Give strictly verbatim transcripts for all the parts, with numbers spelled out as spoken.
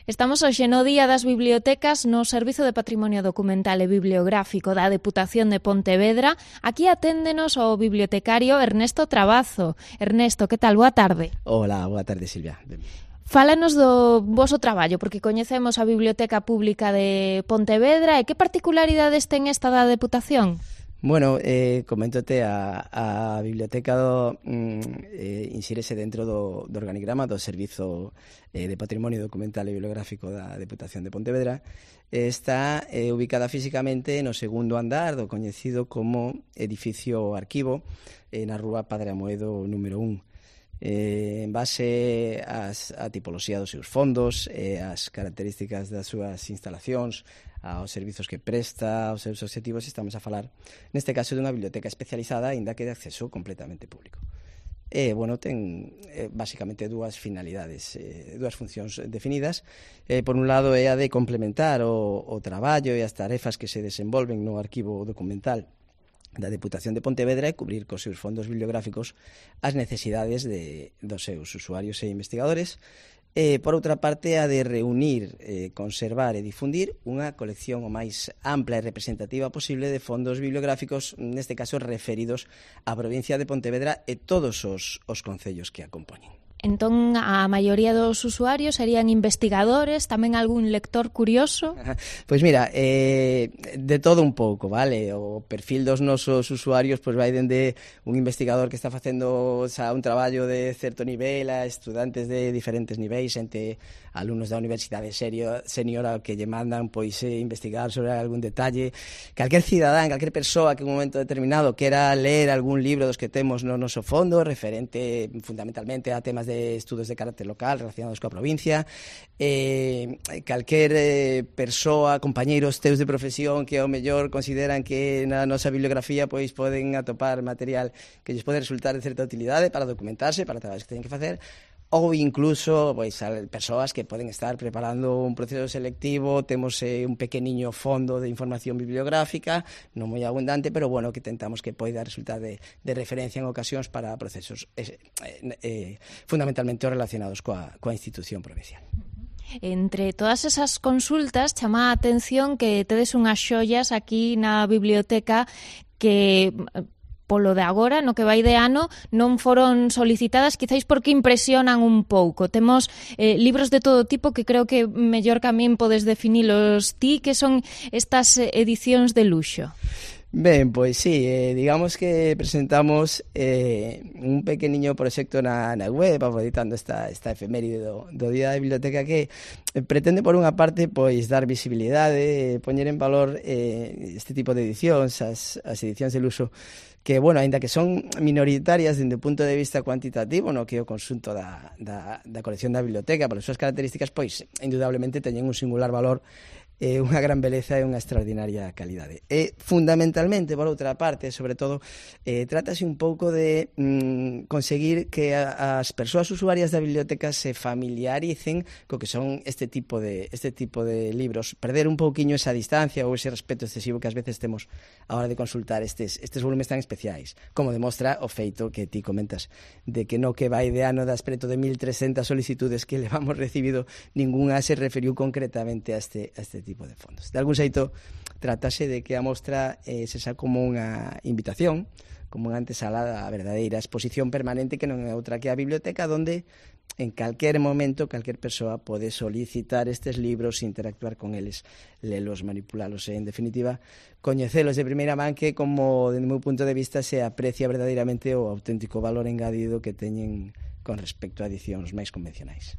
Estamos hoxe no Día das Bibliotecas no Servizo de Patrimonio Documental e Bibliográfico da Deputación de Pontevedra. Aquí aténdenos o bibliotecario Ernesto Trabazo. Ernesto, que tal? Boa tarde. Hola, boa tarde, Silvia. Fálanos do voso traballo, porque coñecemos a Biblioteca Pública de Pontevedra e que particularidades ten esta da Deputación? Bueno, eh, coméntote, a, a biblioteca do, mm, eh, insírese dentro do, do organigrama do Servizo eh, de Patrimonio Documental e Bibliográfico da Deputación de Pontevedra. Eh, está eh, ubicada físicamente no segundo andar do coñecido como edificio arquivo eh, na rúa Padre Amoedo número un. Eh, en base ás, a tipoloxía dos seus fondos, eh, as características das súas instalacións, aos servizos que presta, aos seus obxectivos, estamos a falar, neste caso, dunha biblioteca especializada, aínda que de acceso completamente público. E, bueno, ten eh, basicamente dúas finalidades, eh, dúas funcións definidas. Eh, por un lado, é a de complementar o, o traballo e as tarefas que se desenvolven no arquivo documental da Deputación de Pontevedra e cubrir cos seus fondos bibliográficos as necesidades de, dos seus usuarios e investigadores. E, por outra parte, a de reunir, eh, conservar e difundir unha colección o máis ampla e representativa posible de fondos bibliográficos, neste caso referidos á provincia de Pontevedra e todos os, os concellos que a compoñen. Entón, a maioría dos usuarios serían investigadores, tamén algún lector curioso? Pois mira, eh, de todo un pouco, vale? O perfil dos nosos usuarios pois vai dende un investigador que está facendo xa un traballo de certo nivel a estudantes de diferentes niveis, entre alumnos da Universidade Senior que lle mandan pois eh, investigar sobre algún detalle. Calquer cidadán, calquer persoa que en un momento determinado quera ler algún libro dos que temos no noso fondo, referente fundamentalmente a temas de estudos de carácter local relacionados coa provincia, eh, calquer eh, persoa, compañeiros teus de profesión que ao mellor consideran que na nosa bibliografía pois poden atopar material que lles pode resultar de certa utilidade para documentarse, para traballos que teñen que facer, ou incluso pois, persoas que poden estar preparando un proceso selectivo. Temos eh, un pequeniño fondo de información bibliográfica, non moi abundante, pero bueno, que tentamos que poida resultar de, de referencia en ocasións para procesos eh, eh, fundamentalmente relacionados coa, coa institución provincial. Entre todas esas consultas chama a atención que tedes unhas xoias aquí na biblioteca que polo de agora, no que vai de ano, non foron solicitadas, quizáis porque impresionan un pouco. Temos eh, libros de todo tipo que creo que mellor que a min podes definilos ti, que son estas edicións de luxo. Ben, pois sí, eh, digamos que presentamos eh, un pequeniño proxecto na, na web, aproveitando esta, esta efeméride do, do Día da Biblioteca, que eh, pretende, por unha parte, pois dar visibilidade, eh, poñer en valor eh, este tipo de edicións, as, as edicións de luxo, que, bueno, aínda que son minoritarias dende o punto de vista cuantitativo, no que é o conxunto da, da, da colección da biblioteca, polas súas características, pois, indudablemente, teñen un singular valor, eh, unha gran beleza e unha extraordinaria calidade. E, fundamentalmente, por outra parte, sobre todo, eh, trátase un pouco de mm, conseguir que a, as persoas usuarias da biblioteca se familiaricen co que son este tipo de este tipo de libros, perder un pouquiño esa distancia ou ese respeto excesivo que ás veces temos a hora de consultar estes, estes volumes tan especiais, como demostra o feito que ti comentas, de que no que vai de ano das preto de mil trescentas solicitudes que levamos recibido, ningunha se referiu concretamente a este, a este tipo de fondos. De algún xeito, trátase de que a mostra eh, se xa como unha invitación, como unha antesala a verdadeira exposición permanente que non é outra que a biblioteca, onde en calquer momento calquer persoa pode solicitar estes libros, interactuar con eles, lelos, manipulalos e, en definitiva, coñecelos de primeira man, que, como, desde o meu punto de vista, se aprecia verdadeiramente o auténtico valor engadido que teñen con respecto a edicións máis convencionais.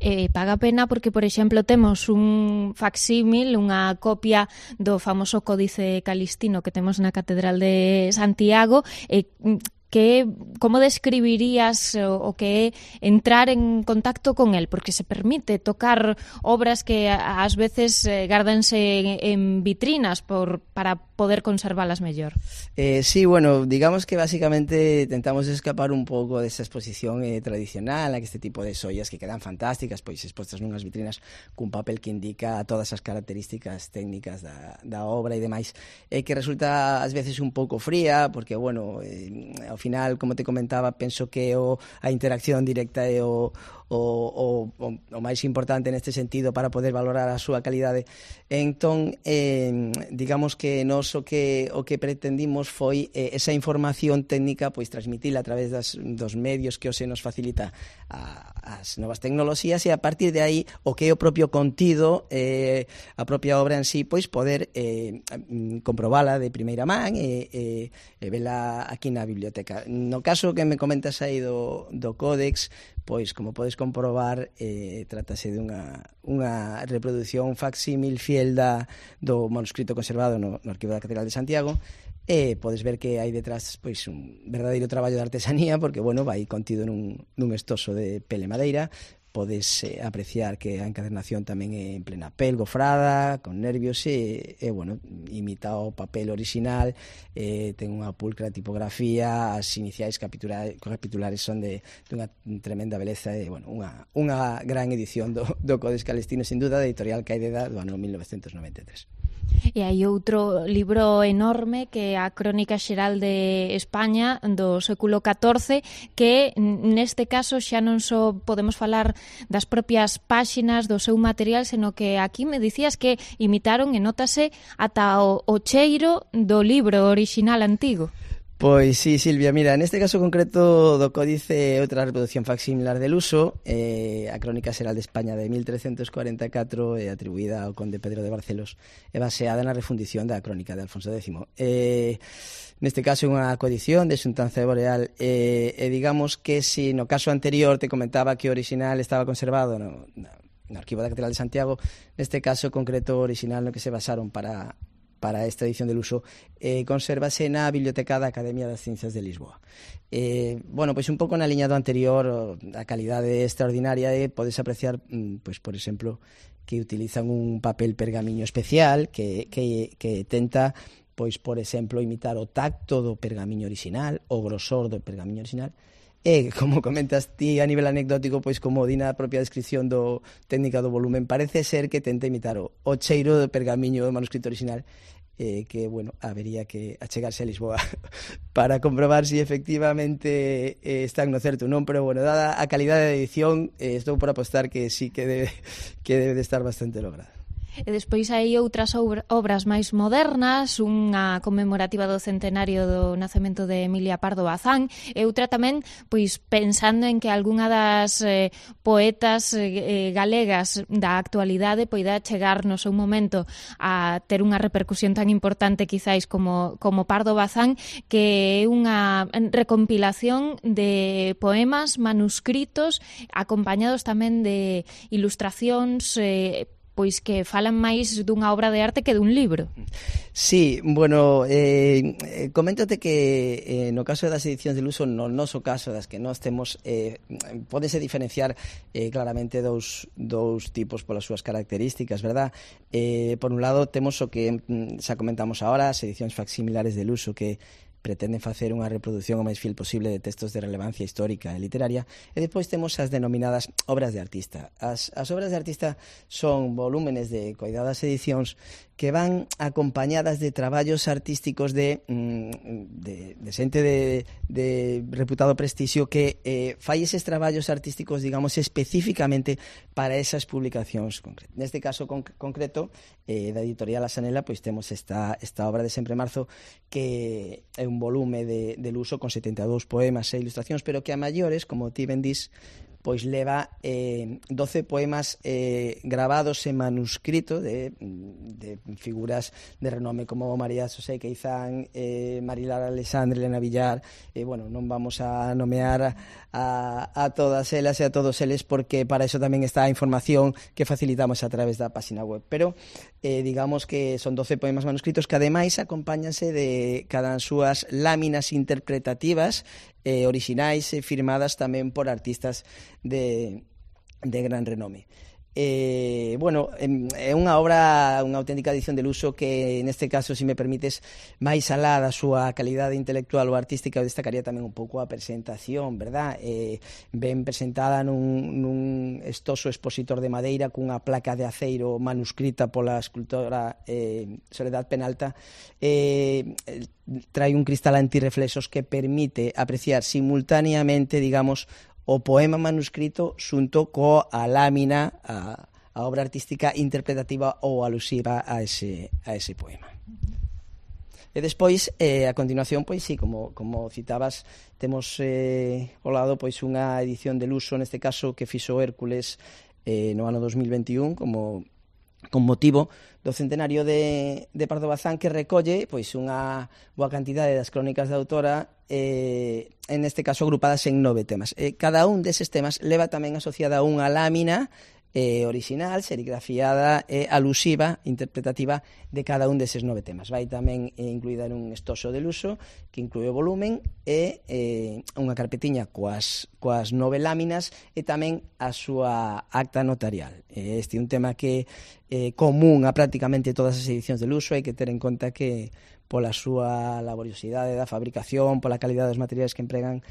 Eh, paga pena porque, por exemplo, temos un facsímil, unha copia do famoso Códice Calistino que temos na Catedral de Santiago, e eh, que como describirías o, o que é entrar en contacto con el, porque se permite tocar obras que ás veces eh, gárdanse en, en vitrinas por, para poder conservalas mellor. Eh, sí, bueno, digamos que básicamente tentamos escapar un pouco desa exposición eh, tradicional, a que este tipo de xoias que quedan fantásticas, pois expostas nunhas vitrinas cun papel que indica todas as características técnicas da, da obra e demais, eh, que resulta ás veces un pouco fría, porque, bueno, eh, ao final, como te comentaba, penso que o, a interacción directa é o, o, o, o máis importante neste sentido para poder valorar a súa calidade. Entón, eh, digamos que nos o que, o que pretendimos foi eh, esa información técnica pois transmitila a través das, dos medios que hoxe nos facilita a, as novas tecnoloxías, e a partir de aí o que é o propio contido, eh, a propia obra en sí, pois poder eh, comprobala de primeira man e, e, e vela aquí na biblioteca. No caso que me comentas aí do, do Códex, pois, como podes comprobar, eh, trátase de unha, unha reproducción facsímil fiel da, do manuscrito conservado no, no Arquivo da Catedral de Santiago, e podes ver que hai detrás pois un verdadeiro traballo de artesanía, porque, bueno, vai contido nun, nun estoso de pele madeira. Podes eh, apreciar que a encadernación tamén é en plena pel, gofrada, con nervios, e, e bueno, imita o papel orixinal, eh, ten unha pulcra tipografía, as iniciais capitulares, capitulares son de, de unha tremenda beleza, e, bueno, unha, unha gran edición do, do Codex Calestino, sin duda, da editorial Caideda do ano mil novecentos noventa e tres. E hai outro libro enorme que é a Crónica Xeral de España do século catorce, que neste caso xa non só podemos falar das propias páxinas do seu material, seno que aquí me dicías que imitaron e notase ata o, o cheiro do libro orixinal antigo. Pois sí, Silvia, mira, neste caso concreto do Códice é outra reproducción facsimilar del uso, eh, a Crónica Xeral de España de mil trescentos cuarenta e catro é atribuída ao conde Pedro de Barcelos e baseada na refundición da Crónica de Alfonso décimo. Eh, neste caso é unha coedición de Xuntanza de Boreal, e, e digamos que si no caso anterior te comentaba que o original estaba conservado no, no Arquivo da Catedral de Santiago, neste caso concreto o original no que se basaron para... para esta edición del uso, eh, consérvase na Biblioteca da Academia das Ciencias de Lisboa. Eh, bueno, pois un pouco na liña do anterior, a calidade extraordinaria e podes apreciar, pois por exemplo, que utilizan un papel pergamiño especial que, que, que tenta, pois por exemplo, imitar o tacto do pergamiño original, o grosor do pergamiño original. E, como comentas ti a nivel anecdótico, pois como di na propia descripción do técnica do volumen, parece ser que tenta imitar o, o cheiro do pergamiño do manuscrito original, eh, que, bueno, habería que achegarse a Lisboa para comprobar si efectivamente eh, están no certo ou non, pero, bueno, dada a calidade de edición, eh, estou por apostar que sí que debe, que debe de estar bastante lograda. E despois hai outras obras máis modernas, unha conmemorativa do centenario do nacemento de Emilia Pardo Bazán, e outra tamén pois pensando en que algunha das eh, poetas eh, galegas da actualidade poida chegar no seu momento a ter unha repercusión tan importante quizáis como, como Pardo Bazán, que é unha recompilación de poemas manuscritos acompañados tamén de ilustracións eh, pois que falan máis dunha obra de arte que dun libro. Sí, bueno, eh, coméntate que eh, no caso das edicións del uso, no noso caso das que nós temos, eh, pódese diferenciar eh, claramente dous, dous tipos polas súas características, verdad? Eh, por un lado, temos o que xa comentamos agora, as edicións facsimilares del uso, que pretenden facer unha reproducción o máis fiel posible de textos de relevancia histórica e literaria, e depois temos as denominadas obras de artista. As, as obras de artista son volúmenes de coidadas edicións que van acompañadas de traballos artísticos de, de, de xente de, de reputado prestixio que eh, fai eses traballos artísticos, digamos, especificamente para esas publicacións concretas. Neste caso conc concreto, eh, da editorial Asanela, pois temos esta, esta obra de Sempre Marzo, que é un volume de, del uso con setenta e dous poemas e ilustracións, pero que a maiores, como ti ben dis, pois leva eh, doce poemas eh, gravados en manuscrito de, de figuras de renome como María Xosé Queizán, eh, Marilar Alexandre, Elena Villar, e, eh, bueno, non vamos a nomear a, a todas elas e a todos eles, porque para eso tamén está a información que facilitamos a través da página web, pero eh, digamos que son doce poemas manuscritos que ademais acompáñanse de cada súas láminas interpretativas eh, orixinais e firmadas tamén por artistas de, de gran renome. Eh, bueno, é unha obra, unha auténtica edición de luxo que, neste caso, se me permites, máis alá da súa calidade intelectual ou artística, eu destacaría tamén un pouco a presentación, verdad? Eh, ben presentada nun, nun estoso expositor de madeira cunha placa de aceiro manuscrita pola escultora eh, Soledad Penalta. Eh, trae un cristal antirreflexos que permite apreciar simultaneamente, digamos, o poema manuscrito xunto coa lámina, a, a obra artística interpretativa ou alusiva a ese, a ese poema. E despois, eh, a continuación, pois sí, como, como citabas, temos eh, ao lado pois unha edición de luxo, neste caso, que fixo Hércules eh, no ano dos mil veintiún, como con motivo do centenario de, de Pardo Bazán, que recolle pois unha boa cantidade das crónicas da autora, eh, en este caso agrupadas en nove temas. Eh, cada un deses temas leva tamén asociada unha lámina eh, original, serigrafiada e alusiva, interpretativa de cada un deses nove temas. Vai tamén eh, incluída nun estoso de luxo que inclúe o volumen e eh, unha carpetiña coas, coas nove láminas e tamén a súa acta notarial. Eh, este é un tema que é eh, común a prácticamente todas as edicións de luxo, hai que ter en conta que pola súa laboriosidade da fabricación, pola calidade dos materiais que empregan,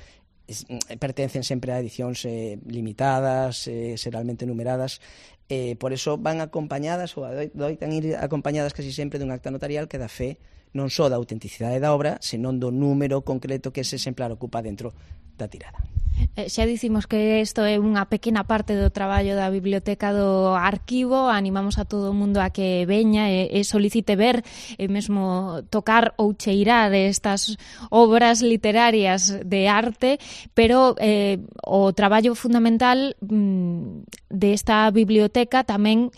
pertencen sempre a edicións eh, limitadas, eh, seralmente numeradas, eh, por eso van acompañadas ou doitan ir acompañadas casi sempre dun acta notarial que dá fe non só da autenticidade da obra, senón do número concreto que ese exemplar ocupa dentro da tirada. Eh, xa dicimos que isto é unha pequena parte do traballo da biblioteca do arquivo. Animamos a todo o mundo a que veña e, e solicite ver e mesmo tocar ou cheirar estas obras literarias de arte, pero eh, o traballo fundamental mm, desta biblioteca tamén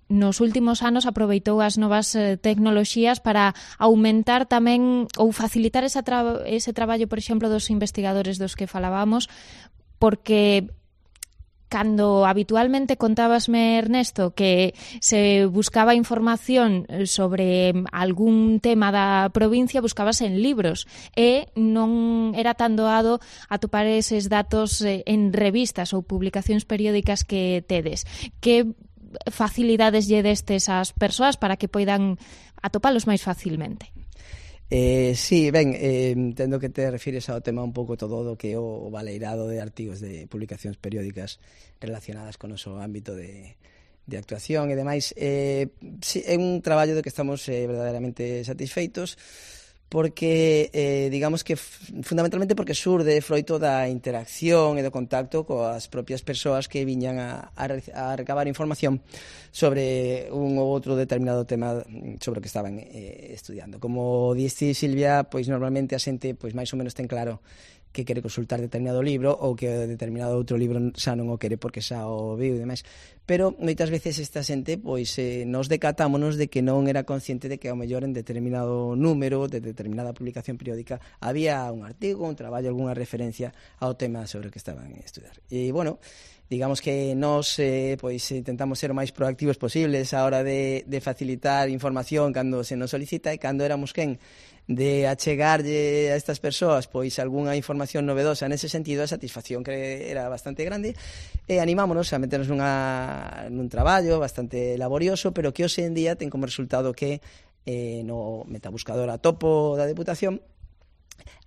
nos últimos anos aproveitou as novas eh, tecnoloxías para aumentar tamén ou facilitar esa tra- ese traballo, por exemplo, dos investigadores dos que falábamos, porque cando habitualmente contábasme, Ernesto, que se buscaba información sobre algún tema da provincia, buscabas en libros e non era tan doado atopar eses datos en revistas ou publicacións periódicas que tedes. Que facilidades lle destes ás persoas para que poidan atopalos máis facilmente? Eh, sí, ben, eh, entendo que te refires ao tema un pouco todo do que é o baleirado de artigos de publicacións periódicas relacionadas con o noso ámbito de, de actuación e demais. Eh, sí, é un traballo do que estamos eh, verdadeiramente satisfeitos, porque, eh, digamos que fundamentalmente porque surde froito da interacción e do contacto coas propias persoas que viñan a, a, a recabar información sobre un ou outro determinado tema sobre o que estaban eh, estudiando. Como diste, Silvia, pois normalmente a xente pois máis ou menos ten claro que quere consultar determinado libro ou que determinado outro libro xa non o quere porque xa o viu e demais. Pero moitas veces esta xente pois eh, nos decatámonos de que non era consciente de que ao mellor en determinado número de determinada publicación periódica había un artigo, un traballo, algunha referencia ao tema sobre o que estaban a estudar. E, bueno, digamos que nós eh, pois intentamos ser o máis proactivos posibles a hora de, de facilitar información cando se nos solicita, e cando éramos quen de achegarlle a estas persoas pois algunha información novedosa nese sentido, a satisfacción que era bastante grande, e animámonos a meternos nunha, nun traballo bastante laborioso, pero que hoxe en día ten como resultado que eh, no metabuscador atopo da Deputación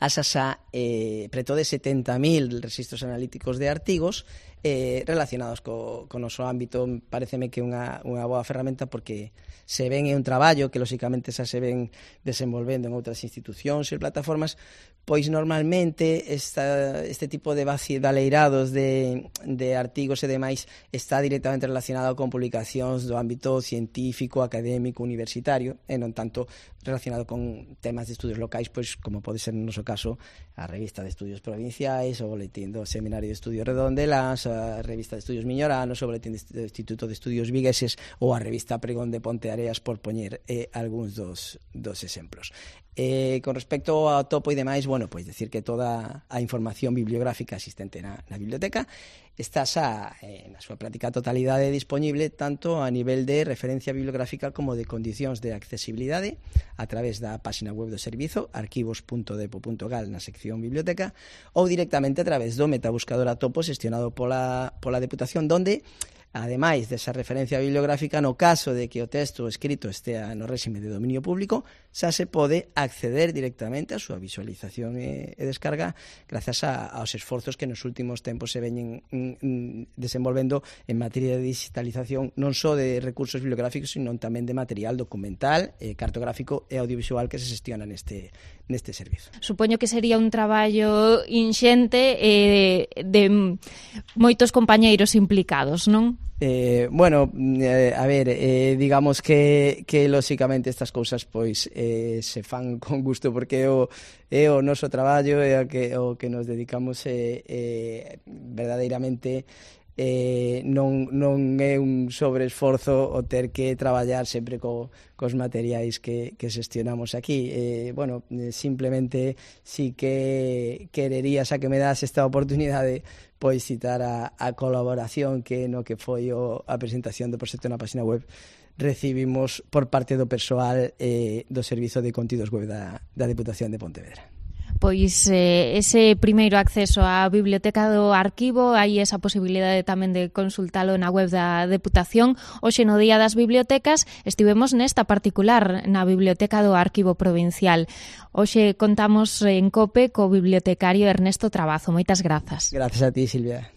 asas a eh, preto de setenta mil registros analíticos de artigos eh, relacionados co, co noso ámbito. Pareceme que é unha, unha boa ferramenta porque se ven é un traballo que lóxicamente xa se ven desenvolvendo en outras institucións e plataformas, pois normalmente esta, este tipo de baleirados de, de artigos e demais está directamente relacionado con publicacións do ámbito científico, académico, universitario, e non tanto relacionado con temas de estudios locais, pois como pode ser no noso caso a revista de estudios provinciais, o boletín do Seminario de Estudios Redondelas, a revista de estudios miñoranos, o boletín do Instituto de Estudios Vigueses ou a revista Pregón de Ponteareas, por poñer eh, algúns dos, dos exemplos. Eh, con respecto ao topo e demais, bueno, pois decir que toda a información bibliográfica existente na, na biblioteca está xa eh, na súa práctica totalidade disponible tanto a nivel de referencia bibliográfica como de condicións de accesibilidade a través da página web do servizo arquivos punto depo punto gal na sección biblioteca, ou directamente a través do metabuscador atopo xestionado pola, pola Deputación, donde ademais desa referencia bibliográfica, no caso de que o texto escrito estea no réxime de dominio público, xa se pode acceder directamente á súa visualización e, e descarga grazas a, aos esforzos que nos últimos tempos se veñen mm, desenvolvendo en materia de digitalización non só de recursos bibliográficos, sino tamén de material documental, eh, cartográfico e audiovisual que se xestiona neste, neste servizo. Supoño que sería un traballo inxente eh, de moitos compañeiros implicados, non? Eh, bueno, eh, a ver, eh, digamos que, que lóxicamente estas cousas pois eh, se fan con gusto porque é o, é o noso traballo, é o que, o que nos dedicamos eh, eh, verdadeiramente eh, non, non é un sobreesforzo o ter que traballar sempre co, cos materiais que, que xestionamos aquí. Eh, bueno, simplemente si que querería, xa que me das esta oportunidade, pois citar a, a colaboración que no que foi o, a presentación do proxecto na página web recibimos por parte do persoal eh, do Servizo de Contidos Web da, da Deputación de Pontevedra. Pois eh, ese primeiro acceso á biblioteca do arquivo, hai esa posibilidade tamén de consultalo na web da Deputación. Hoxe no Día das Bibliotecas estivemos nesta particular, na Biblioteca do Arquivo Provincial. Hoxe contamos en COPE co bibliotecario Ernesto Trabazo. Moitas grazas. Grazas a ti, Silvia.